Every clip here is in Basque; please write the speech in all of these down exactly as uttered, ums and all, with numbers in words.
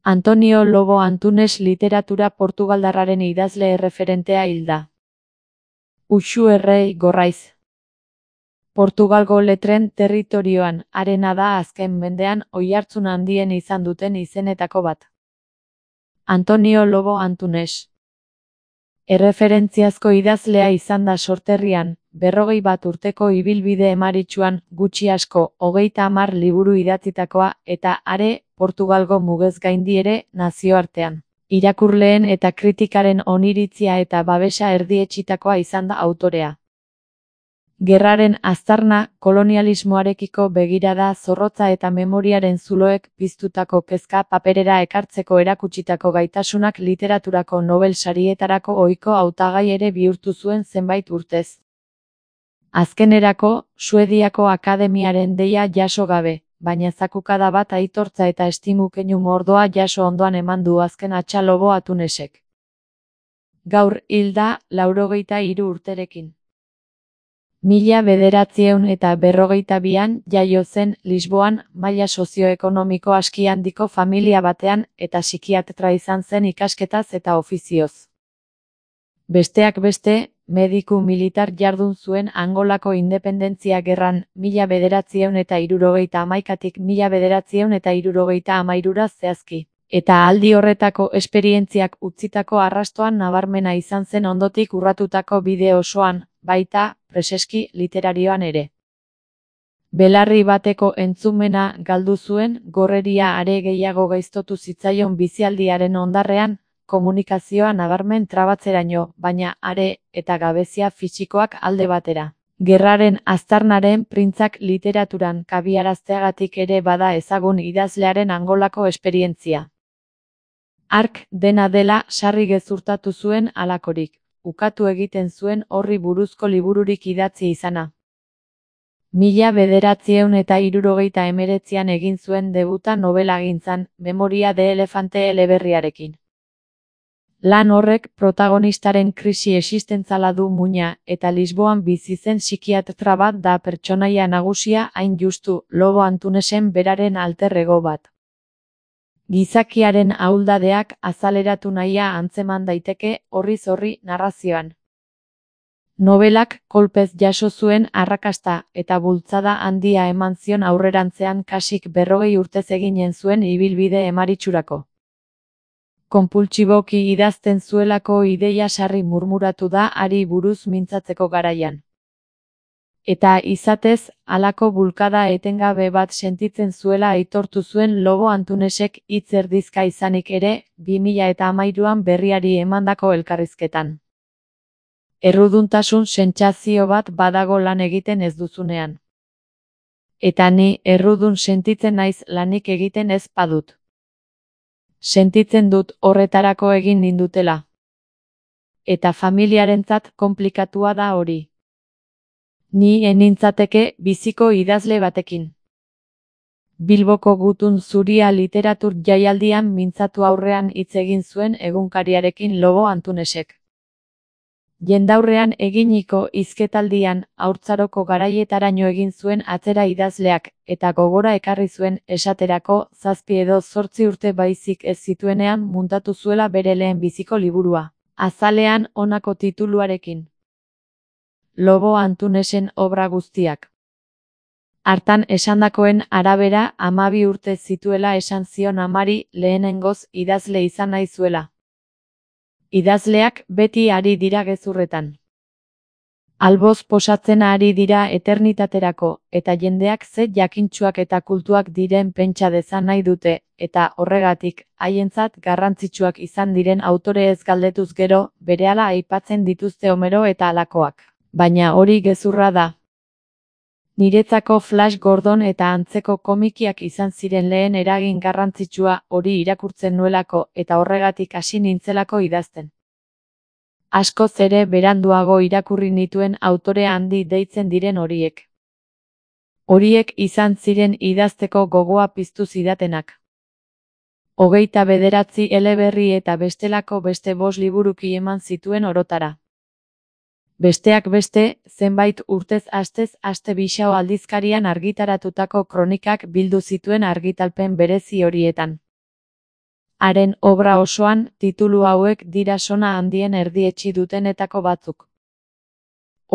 Antonio Lobo Antunes literatura portugaldarraren idazle erreferentea hilda. Uxu Errei Gorraiz. Portugalgo letren territorioan harena da azken mendean oihartzun handien izan duten izenetako bat. Antonio Lobo Antunes. Erreferentziazko idazlea izan da sorterrian, berrogei bat urteko ibilbide emaritsuan, gutxi asko, hogeita hamar liburu idatzitakoa, eta are, Portugalgo mugez gaindi ere, nazioartean. Irakurleen eta kritikaren oniritzia eta babesa erdietsitakoa izan da autorea. Gerraren aztarna, kolonialismoarekiko begirada zorrotza eta memoriaren zuloek piztutako kezka paperera ekartzeko erakutsitako gaitasunak literaturako Nobel sarietarako ohiko hautagai ere bihurtu zuen zenbait urtez. Azkenerako, Suediako Akademiaren deia jaso gabe, baina zakukada bat aitortza eta estimu keinu mordoa jaso ondoan eman du azken hatsa Lobo Antunesek. Gaur hilda, laurogeita hiru urterekin. Mila bederatziehun eta berrogeita bian jaio zen Lisboan, maila sozioekonomiko aski handiko familia batean eta psikiatra izan zen ikasketaz eta ofizioz. Besteak beste, mediku militar jardun zuen Angolako independentzia gerran mila bederatziehun eta hirurogeita hamaikatik mila bederatziehun eta hirurogeita hamairura zehazki, eta aldi horretako esperientziak utzitako arrastoan nabarmena izan zen ondotik urratutako bide osoan, baita, preseski literarioan ere. Belarri bateko entzumena galdu zuen, gorreria are gehiago gaiztotu zitzaion bizialdiaren ondarrean, komunikazioa nabarmen trabatzeraino, baina are, eta gabezia fisikoak alde batera. Gerraren aztarnaren printzak literaturan kabiarazteagatik ere bada ezagun idazlearen Angolako esperientzia. Hark, dena dela, sarri gezurtatu zuen halakorik. Ukatu egiten zuen horri buruzko libururik idatzi izana. Mila bederatziehun eta hirurogeita hemeretzian egin zuen debuta nobelagintzan, Memoria de Elefante eleberriarekin. Lan horrek protagonistaren krisi existentzala du muina, eta Lisboan bizi zen psikiatra bat da pertsonaia nagusia hain justu, Lobo Antunesen beraren alter ego bat. Gizakiaren ahuldadeak azaleratu nahia antzeman daiteke horriz horri narrazioan. Nobelak kolpez jaso zuen arrakasta eta bultzada handia eman zion aurrerantzean kasik berrogei urtez eginen zuen ibilbide emaritsurako. Konpultsiboki idazten zuelako ideia sarri murmuratu da hari buruz mintzatzeko garaian. Eta izatez, halako bulkada etengabe bat sentitzen zuela aitortu zuen Lobo Antunesek hitz erdizka izanik ere, bi mila eta hamairuan berriari emandako elkarrizketan. Erruduntasun sentsazio bat badago lan egiten ez duzunean. Eta ni errudun sentitzen naiz lanik egiten ez badut. Sentitzen dut horretarako egin nindutela. Eta familiarentzat konplikatua da hori. Ni enintzateke biziko idazle batekin. Bilboko Gutun Zuria literatur jaialdian mintzatu aurrean hitz egin zuen egunkariarekin Lobo Antunesek. Jendaurrean eginiko hizketaldian haurtzaroko garaietaraino egin zuen atzera idazleak, eta gogora ekarri zuen esaterako zazpi edo zortzi urte baizik ez zituenean muntatu zuela bere lehen biziko liburua, azalean honako tituluarekin. Lobo Antunesen obra guztiak. Hartan esandakoen arabera hamabi urte zituela esan zion amari lehenengoz idazle izan nahi zuela. Idazleak beti ari dira gezurretan. Alboz posatzen ari dira eternitaterako, eta jendeak ze jakintsuak eta kultuak diren pentsa dezan nahi dute, eta horregatik, haientzat garrantzitsuak izan diren autore ez galdetuz gero, berehala aipatzen dituzte Homero eta halakoak. Baina hori gezurra da. Niretzako Flash Gordon eta antzeko komikiak izan ziren lehen eragin garrantzitsua hori irakurtzen nuelako eta horregatik hasi nintzelako idazten. Askoz ere beranduago irakurri nituen autore handi deitzen diren horiek. Horiek izan ziren idazteko gogoa piztu zidatenak. Hogeita bederatzi eleberri eta bestelako beste bost liburuki eman zituen orotara. Besteak beste, zenbait urtez astez aste Bisao aldizkarian argitaratutako kronikak bildu zituen argitalpen berezi horietan. Haren obra osoan, titulu hauek dira sona handien erdietsi dutenetako batzuk.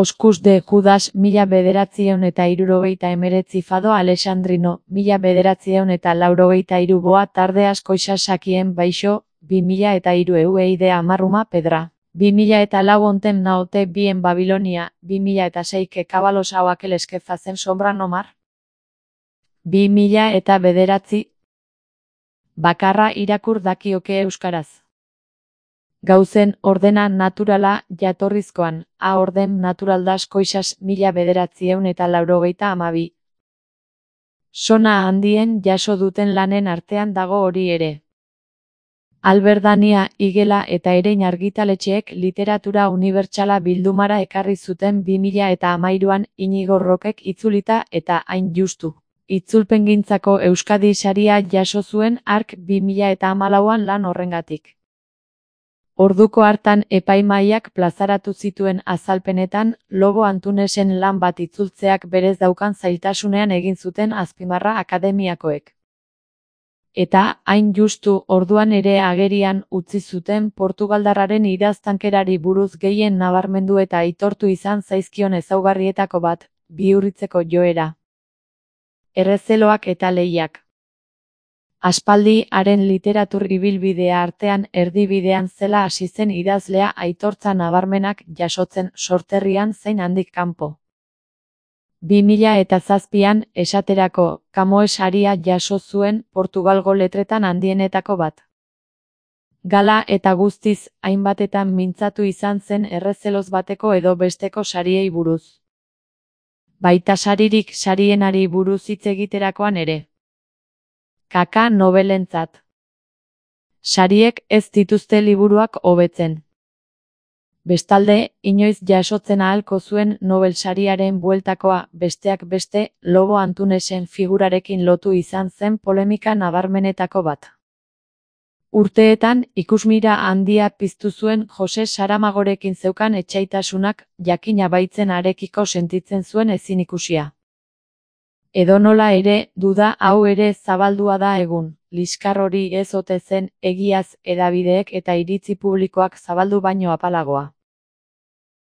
Oskus de Judas mila bederatziehun eta hirurogeita hemeretzi Fado Alexandrino, mila bederatziehun eta laurogeita hiru Boa tarde asko isasakien baixo, bi mila eta hiru Eueide Amarruma Pedra, bi mila eta lau Ontem naote bien Babilonia, bi mila eta seike Kabalos hauakel eskefazen sombra nomar. bi mila eta bederatzi bakarra irakur dakioke euskaraz. Gauzen ordena naturala jatorrizkoan, a orden natural das koisas mila bederatzieun eta laurogeita amabi. Sona handien jaso duten lanen artean dago hori ere. Alberdania, Igela eta Erein argitaletxeek literatura unibertsala bildumara ekarri zuten bi mila eta hamairuan Inigo Rokek itzulita eta hain justu. Itzulpengintzako Euskadi saria jaso zuen hark bi mila eta hamalauan lan horrengatik. Orduko hartan epaimahaiak plazaratu zituen azalpenetan, Lobo Antunesen lan bat itzultzeak berez daukan zailtasunean egin zuten azpimarra akademiakoek. Eta, hain justu, orduan ere agerian utzi zuten Portugaldarraren idaztankerari buruz gehien nabarmendu eta aitortu izan zaizkion ezaugarrietako bat, bihurritzeko joera. Errezeloak eta lehiak. Aspaldi, haren literatur ibilbidea artean erdibidean zela hasi zen idazlea aitortza nabarmenak jasotzen sorterrian zein handik kanpo. bi mila eta zazpian, esaterako, Camões saria jaso zuen Portugalgo letretan handienetako bat. Gala eta guztiz, hainbatetan mintzatu izan zen errezeloz bateko edo besteko sariei buruz. Baita saririk sarienari buruz hitz egiterakoan ere. Kaka nobelentzat. Sariek ez dituzte liburuak hobetzen. Bestalde, inoiz jasotzen ahalko zuen Nobel sariaren bueltakoa, besteak beste, Lobo Antunesen figurarekin lotu izan zen polemika nabarmenetako bat. Urteetan, ikusmira handia piztu zuen Jose Saramagorekin zeukan etsaitasunak, jakina baitzen harekiko sentitzen zuen ezin ikusia. Edonola ere, duda hau ere zabaldua da egun, liskar hori ez ote zen, egiaz, hedabideek eta iritzi publikoak zabaldu baino apalagoa.